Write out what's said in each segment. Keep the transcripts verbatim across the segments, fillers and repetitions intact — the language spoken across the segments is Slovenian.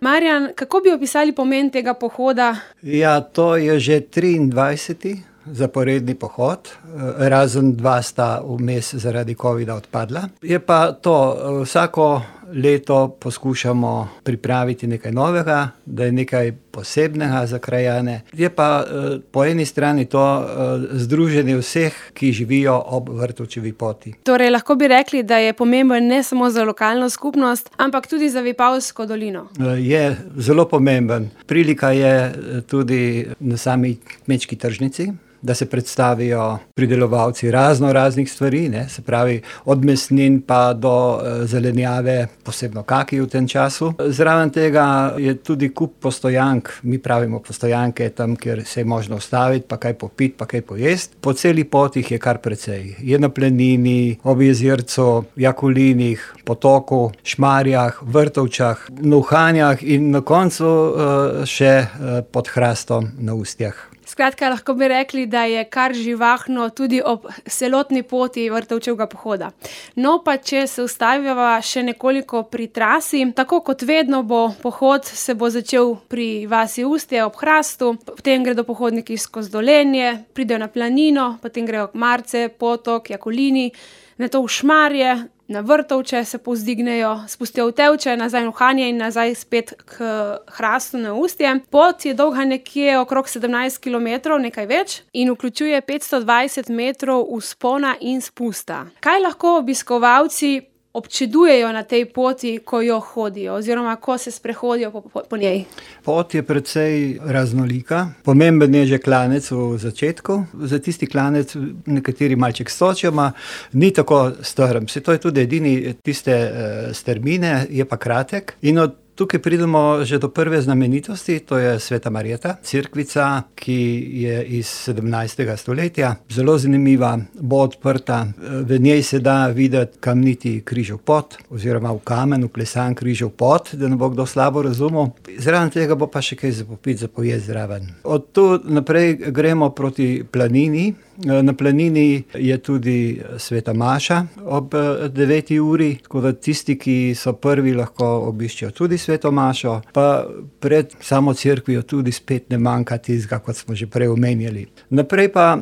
Marjan, kako bi opisali pomen tega pohoda? Ja, to je že triindvajseti zaporedni pohod, razen dva sta vmes zaradi covida odpadla. Je pa to, vsako leto poskušamo pripraviti nekaj novega, da je nekaj posebnega za krajane. Je pa po eni strani to združenje vseh, ki živijo ob Vrtovčevi poti. Torej, lahko bi rekli, da je pomemben ne samo za lokalno skupnost, ampak tudi za Vipavsko dolino. Je zelo pomemben. Prilika je tudi na sami kmečki tržnici, da se predstavijo pridelovalci razno raznih stvari, ne, se pravi od mesnin pa do e, zelenjave, posebno kaki v tem času. Zraven tega je tudi kup postojank, mi pravimo postojanke, tam, kjer se je možno ustaviti, pa kaj popiti, pa kaj pojesti. Po celi poti jih je kar precej. Je na Planini, ob jezercu, Jakulinih, Potoku, Šmarjah, Vrtovčah, Nuhanjah in na koncu e, še e, pod Hrastom na Ustjah. Skratka, lahko bi rekli, da je kar živahno tudi ob celotni poti Vrtovčevega pohoda. No, pa če se ustaviva še nekoliko pri trasi, tako kot vedno bo pohod se bo začel pri vasi Ustje ob Hrastu, potem gredo pohodniki skozi Dolenje, pridejo na Planino, potem grejo k Marce, Potok, Jakulini, nato v Šmarje, na Vrtovče se povzdignejo, spustijo v Tevče, nazaj v Nuhanje in nazaj spet k Hrastu na Ustje. Pot je dolga nekje okrog sedemnajst kilometrov, nekaj več, in vključuje petsto dvajset metrov vzpona in spusta. Kaj lahko obiskovalci občudujejo na tej poti, ko jo hodijo oziroma ko se sprehodijo po, po, po njej? Pot je precej raznolika. Pomemben je že klanec v začetku. Za tisti klanec nekateri malček stočijo, ma ni tako strm. Se to je tudi edini tiste uh, strmine, je pa kratek. In od tukaj pridemo že do prve znamenitosti, to je Sveta Marjeta, cerkvica, ki je iz sedemnajstega stoletja. Zelo zanimiva, bo odprta. V njej se da videti kamniti križev pot, oziroma v kamen vklesan križev pot, da ne bo kdo slabo razumel. Zraven tega bo pa še kaj za popiti, za pojesti zraven. Od tu naprej gremo proti Planini. Na Planini je tudi Sveta Maša ob deveti uri, tako da tisti, ki so prvi, lahko obiščejo tudi Sveto Mašo, pa pred samo cerkvijo tudi spet ne manjka tistega, kot smo že prej omenjali. Naprej pa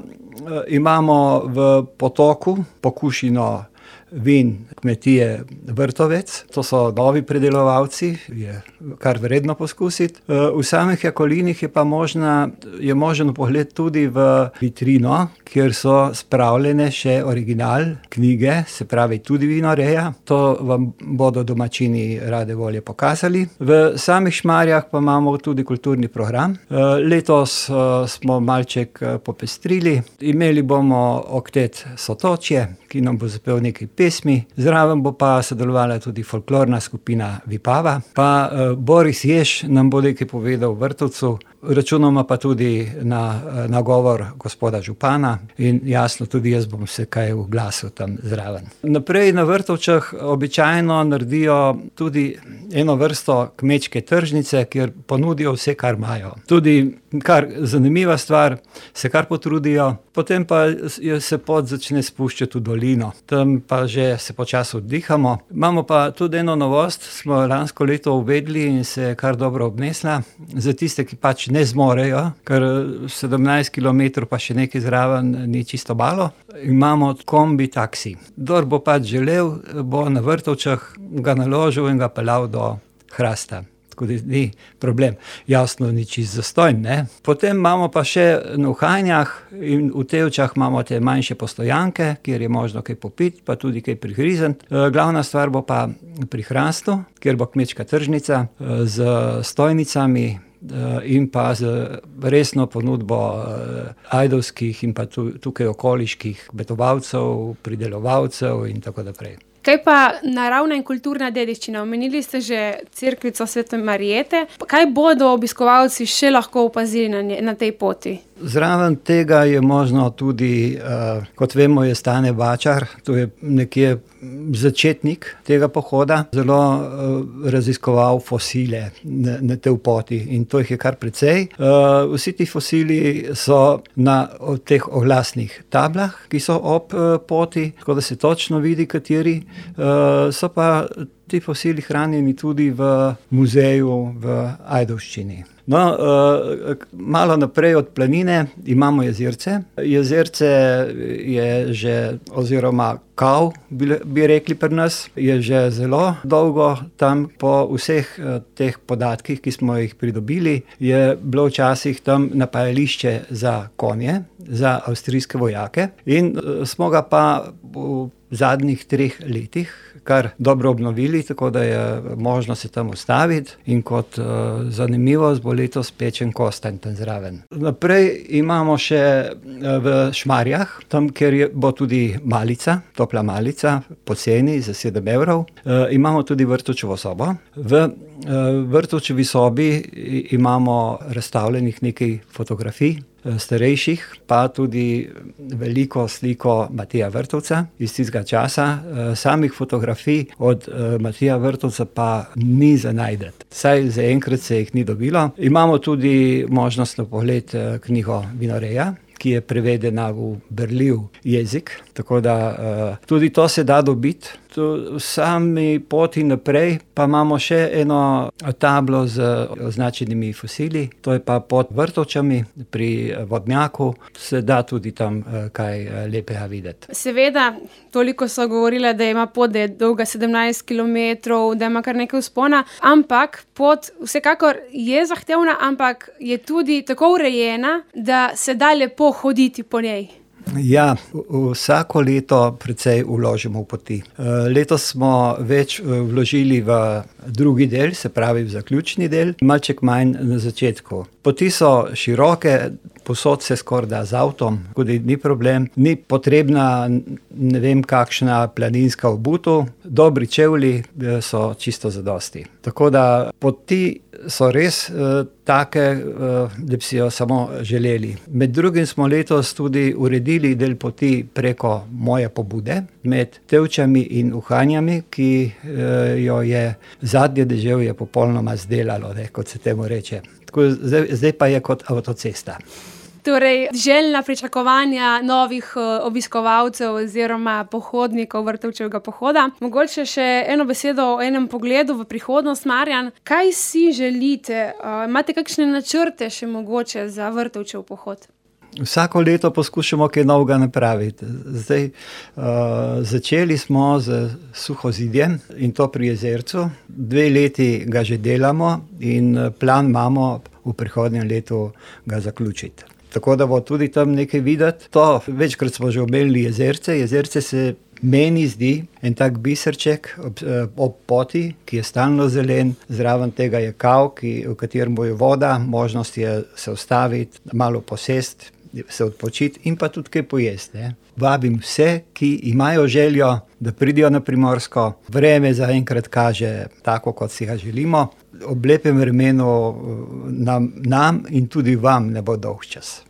imamo v Potoku pokušino vin kmetije Vrtovec. To so novi pridelovalci, je kar vredno poskusiti. V samih Jakulinih je pa možna, je možen pogled tudi v vitrino, kjer so spravljene še original knjige, se pravi tudi vinoreja. To vam bodo domačini rade volje pokazali. V samih Šmarjah pa imamo tudi kulturni program. Letos smo malček popestrili. Imeli bomo oktet Sotočje, ki nam bo zapel nekaj pesmi. Zraven bo pa sodelovala tudi folklorna skupina Vipava. Pa uh, Boris Jež nam bo nekaj povedal v Vrtovcu. Računamo pa tudi na nagovor gospoda župana in jasno tudi jaz bom se kaj oglasil tam zraven. Naprej na Vrtovčah običajno naredijo tudi eno vrsto kmečke tržnice, kjer ponudijo vse, kar imajo. Tudi kar zanimiva stvar, se kar potrudijo, potem pa se pot začne spuščati v dolino. Tam pa že se počasi oddihamo. Imamo pa tudi eno novost, smo lansko leto uvedli in se kar dobro obnesla. Za tiste, ki pač ne zmorejo, ker sedemnajst kilometrov pa še nekaj zraven ni čisto malo. Imamo kombi taksi. Kdor bo pač želel, bo na Vrtovčah ga naložil in ga peljal do Hrasta. Tako da ni problem. Jasno, ni čisto zastonj, ne. Potem imamo pa še na Nuhanjah in v Tevčah imamo te manjše postojanke, kjer je možno kaj popiti, pa tudi kaj prihrizniti. Glavna stvar bo pa pri Hrastu, kjer bo kmečka tržnica z stojnicami in pa z resno ponudbo ajdovskih in pa tukaj okoliških betovalcev, pridelovalcev in tako naprej. Kaj pa naravna in kulturna dediščina? Omenili ste že cerkvico Svete Marjete. Kaj bodo obiskovalci še lahko opazili na, nje, na tej poti? Zraven tega je možno tudi, uh, kot vemo, je Stane Bačar, to je nekje začetnik tega pohoda, zelo uh, raziskoval fosile na, na tej poti in to jih je kar precej. Uh, vsi ti fosili so na teh oglasnih tablah, ki so ob uh, poti, tako da se točno vidi, kateri. Uh, so pa ti fosili hranjeni tudi v muzeju v Ajdovščini. No, malo naprej od planine imamo jezerce. Jezerce je že, oziroma kav, bi rekli pri nas, je že zelo dolgo tam. Po vseh teh podatkih, ki smo jih pridobili, je bilo včasih tam napajališče za konje, za avstrijske vojake, in smo ga pa v zadnjih treh letih kar dobro obnovili, tako da je možno se tam ustaviti, in kot uh, zanimivost bo letos pečen kostanj tam zraven. Naprej imamo še v Šmarjah, tam, kjer je, bo tudi malica, topla malica, poceni za sedem evrov. Uh, imamo tudi Vrtovčevo sobo. V uh, Vrtovčevi sobi imamo razstavljenih nekaj fotografij, starejših, pa tudi veliko sliko Matija Vrtovca iz tistega časa. Samih fotografij od Matija Vrtovca pa ni za najti. Saj zaenkrat se jih ni dobilo. Imamo tudi možnost na pogled knjigo Vinoreja, ki je prevedena v berljiv jezik, tako da uh, tudi to se da dobiti. V sami poti naprej pa imamo še eno tablo z označenimi fosili, to je pa pod Vrtovčami pri vodnjaku, se da tudi tam uh, kaj lepega videti. Seveda, toliko so govorile, da ima pot, da je dolga sedemnajst kilometrov, da ima kar nekaj vzpona, ampak pot vsekakor je zahtevna, ampak je tudi tako urejena, da se da lepo hoditi po njej. Ja, vsako leto precej vložimo v poti. Letos smo več vložili v drugi del, se pravi v zaključni del, malček manj na začetku. Poti so široke, posod se skoraj da z avtom, tudi ni problem, ni potrebna ne vem kakšna planinska obutev, dobri čevlji so čisto zadosti. Tako da poti so res uh, take, uh, da bi si jo samo želeli. Med drugim smo letos tudi uredili del poti preko moje pobude, med Tevčami in Uhanjami, ki uh, jo je zadnje deževje popolnoma zdelalo, ne, kot se temu reče. Tako, zdaj, zdaj pa je kot avtocesta. Torej, željna pričakovanja novih uh, obiskovalcev oziroma pohodnikov Vrtovčevega pohoda. Mogoče še eno besedo o enem pogledu v prihodnost, Marjan. Kaj si želite? Uh, imate kakšne načrte še mogoče za Vrtovčev pohod? Vsako leto poskušamo kaj novega napraviti. Zdaj, uh, začeli smo z Suhozidjem, in to pri jezercu. Dve leti ga že delamo in plan imamo v prihodnjem letu ga zaključiti. Tako da bo tudi tam nekaj videti. To, večkrat smo že omenili jezerce. Jezerce se meni zdi en tak biserček ob, ob poti, ki je stalno zelen. Zraven tega je kav, ki, v katerem bo je voda, možnost je se ustaviti, malo posesti, se odpočiti in pa tudi kaj pojesti. Ne? Vabim vse, ki imajo željo, da pridijo na Primorsko. Vreme zaenkrat kaže tako, kot si ga želimo. Ob lepem vremenu nam, nam in tudi vam ne bo dolg čas.